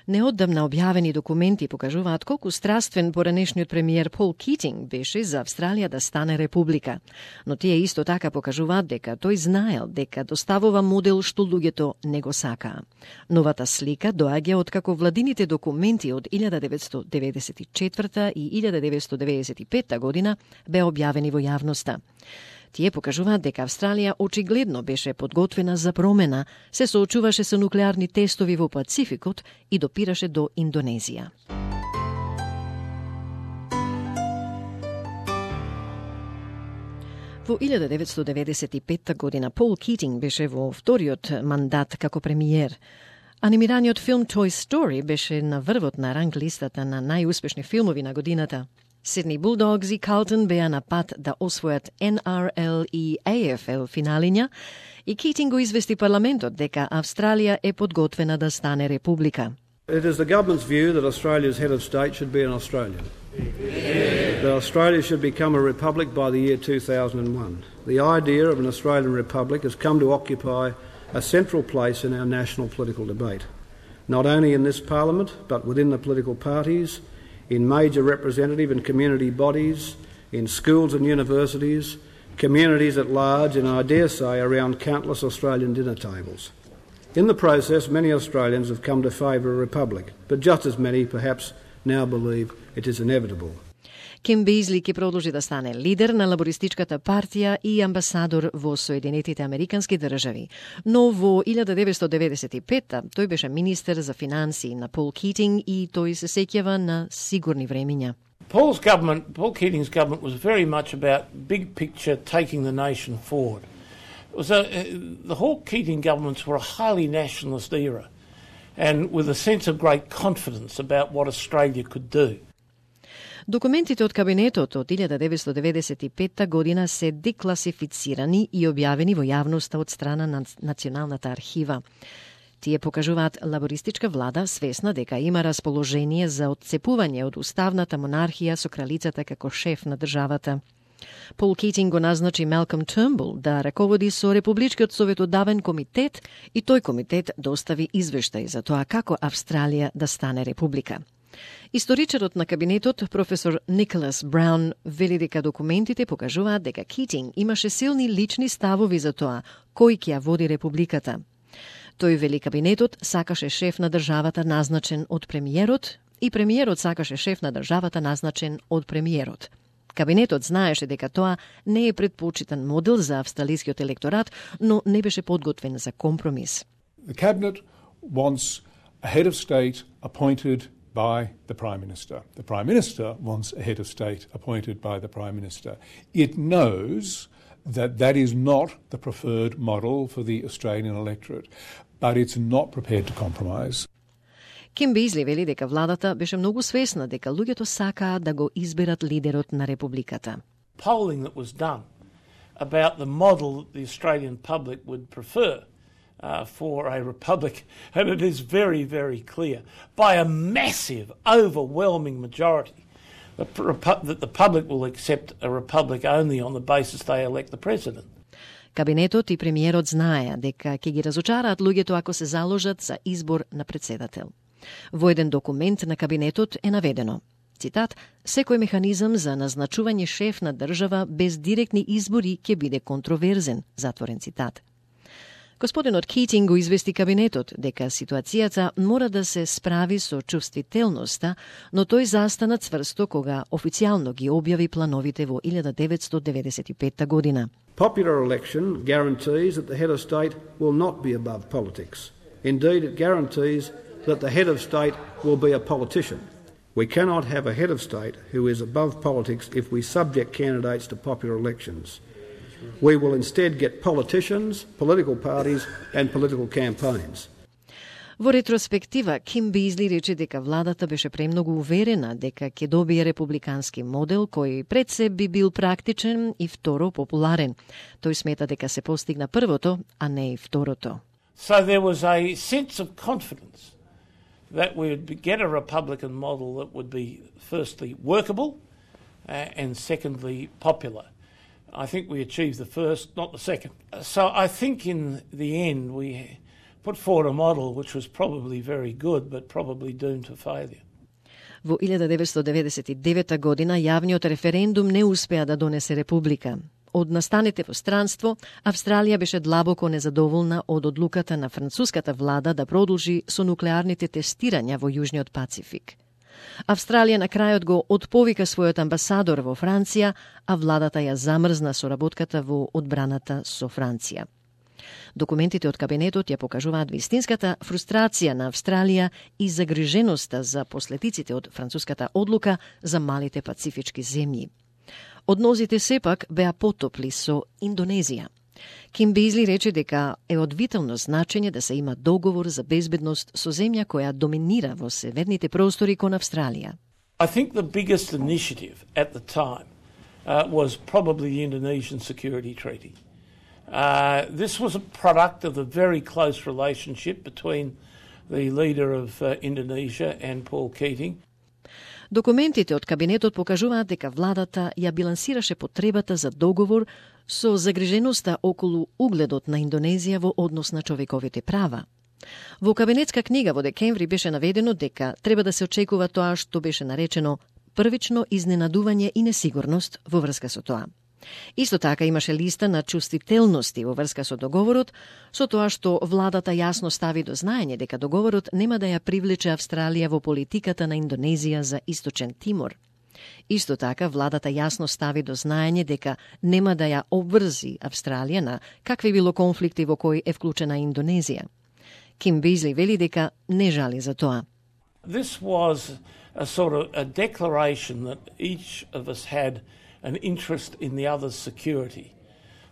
Неодамна објавени документи покажуваат колку страствен поранешниот премиер Пол Китинг беше за Австралија да стане република. Но тие исто така покажуваат дека тој знаел дека доставува модел што луѓето не го сакаа. Новата слика доаѓа откако владините документи од 1994 и 1995 година беа објавени во јавноста. Тие покажуваат дека Австралија очигледно беше подготвена за промена, се соочуваше со нуклеарни тестови во Пацификот и допираше до Индонезија. Во 1995 година Пол Китинг беше во вториот мандат како премиер. Анимираниот филм Toy Story беше на врвот на ранг листата на најуспешни филмови на годината. Сидни Булдогс и Калтон беа на пат да освојат NRL и AFL финалиња и Китинг го извести парламентот дека Австралија е подготвена да стане република. It is the government's view that Australia's head of state should be an Australian. That Australia should become a republic by the year 2001. The idea of an Australian republic has come to occupy a central place in our national political debate, not only in this parliament, but within the political parties, in major representative and community bodies, in schools and universities, communities at large, and I dare say around countless Australian dinner tables. In the process, many Australians have come to favour a republic, but just as many perhaps now believe it is inevitable. Ким Бейзли ќе продолжи да стане лидер на лабористичката партија и амбасадор во Соединетите Американски држави. Но во 1995 тој беше министер за финансии на Пол Китинг и тој се сеќава на сигурни времиња. Paul Keating's government was very much about big picture, taking the nation forward. It was the Hawke Keating governments were a highly nationalist era and with a sense of great confidence about what Australia could do. Документите од кабинетот од 1995 година се декласифицирани и објавени во јавноста од страна на Националната архива. Тие покажуваат лабористичка влада свесна дека има расположение за отцепување од уставната монархија со кралицата како шеф на државата. Пол Китинг го назначи Малком Турнбул да раководи со Републичкиот советодавен комитет и тој комитет достави извештај за тоа како Австралија да стане република. Историчарот на кабинетот, професор Николас Браун, вели дека документите покажуваат дека Китинг имаше силни лични ставови за тоа кој ќе ја води републиката. Тој вели кабинетот сакаше шеф на државата назначен од премиерот и премиерот сакаше шеф на државата назначен од премиерот. Кабинетот знаеше дека тоа не е предпочитан модел за австралискиот електорат, но не беше подготвен за компромис. The cabinet wants a head of state appointed by the Prime Minister. The Prime Minister wants a head of state appointed by the Prime Minister. It knows that that is not the preferred model for the Australian electorate, but it's not prepared to compromise. Ким Бейзли вели дека владата беше многу свесна дека луѓето сакаа да го изберат лидерот на републиката. Polling that was done about the model that the Australian public would prefer for a republic, and it is very, very clear, by a massive, overwhelming majority, that the public will accept a republic only on the basis they elect the president. Кабинетот и премиерот знаеа дека ќе ги разочараат луѓето ако се заложат за избор на председател. Во еден документ на кабинетот е наведено, цитат, секој механизам за назначување шеф на држава без директни избори ќе биде контроверзен, затворен цитат. Господинот Китинг го извести кабинетот дека ситуацијата мора да се справи со чувствителноста, но тој застана цврсто кога официјално ги објави плановите во 1995 година. Popular election guarantees that the head of state will not be above politics. Indeed, it guarantees that the head of state will be a politician. We cannot have a head of state who is above politics if we subject candidates to popular elections. We will instead get politicians, political parties and political campaigns. Во ретроспектива, Ким Бейзли рече дека владата беше премногу уверена дека ќе добие републикански модел кој пред се би бил практичен и второ популарен. Тој смета дека се постигна првото, а не и второто. So there was a sense of confidence that we would get a Republican model that would be firstly workable and secondly popular. I think we achieved the first, not the second. So I think in the end put forward a model which was probably very good, but probably doomed to failure. Во 1999 година јавниот референдум не успеа да донесе република. Од настаните во странство, Австралија беше длабоко незадоволна од одлуката на француската влада да продолжи со нуклеарните тестирања во Јужниот Пацифик. Австралија на крајот го отповика својот амбасадор во Франција, а владата ја замрзна соработката во одбраната со Франција. Документите од кабинетот ја покажуваат вистинската фрустрација на Австралија и загриженоста за последиците од француската одлука за малите пацифички земји. Односите сепак беа потопли со Индонезија. Ким Бизли рече дека е од витално значење да се има договор за безбедност со земја која доминира во северните простори кон Австралија. I think the biggest initiative at the time was probably the Indonesian Security Treaty. This was a product of the very close relationship between the leader of Indonesia and Paul Keating. Документите од кабинетот покажуваат дека владата ја билансираше потребата за договор со загриженоста околу угледот на Индонезија во однос на човековите права. Во кабинетска книга во декември беше наведено дека треба да се очекува тоа што беше наречено првично изненадување и несигурност во врска со тоа. Исто така имаше листа на чувствителности во врска со договорот, со тоа што владата јасно стави до знаење дека договорот нема да ја привлече Австралија во политиката на Индонезија за Источен Тимор. Исто така владата јасно стави до знаење дека нема да ја обврзи Австралија на какви било конфликти во кои е вклучена Индонезија. Ким Бизли вели дека не жали за тоа. This was a sort of a declaration that each of us had an interest in the other's security.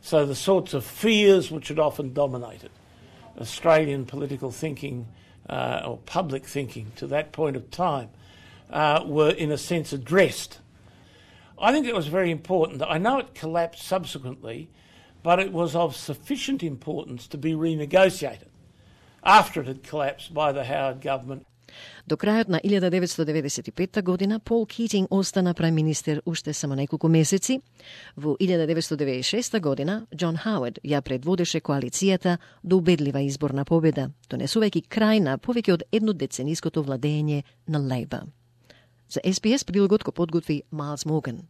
So the sorts of fears which had often dominated Australian political thinking or public thinking to that point of time were in a sense addressed. I think it was very important. I know it collapsed subsequently, but it was of sufficient importance to be renegotiated after it had collapsed by the Howard government. До крајот на 1995 година Пол Китинг остана прајм-министер уште само неколку месеци. Во 1996 година Џон Хауард ја предводеше коалицијата до убедлива изборна победа, донесувајќи крај на повеќе од еднодецениското владење на Лейбор. За SBS прилогот го подготви Майлс Морган.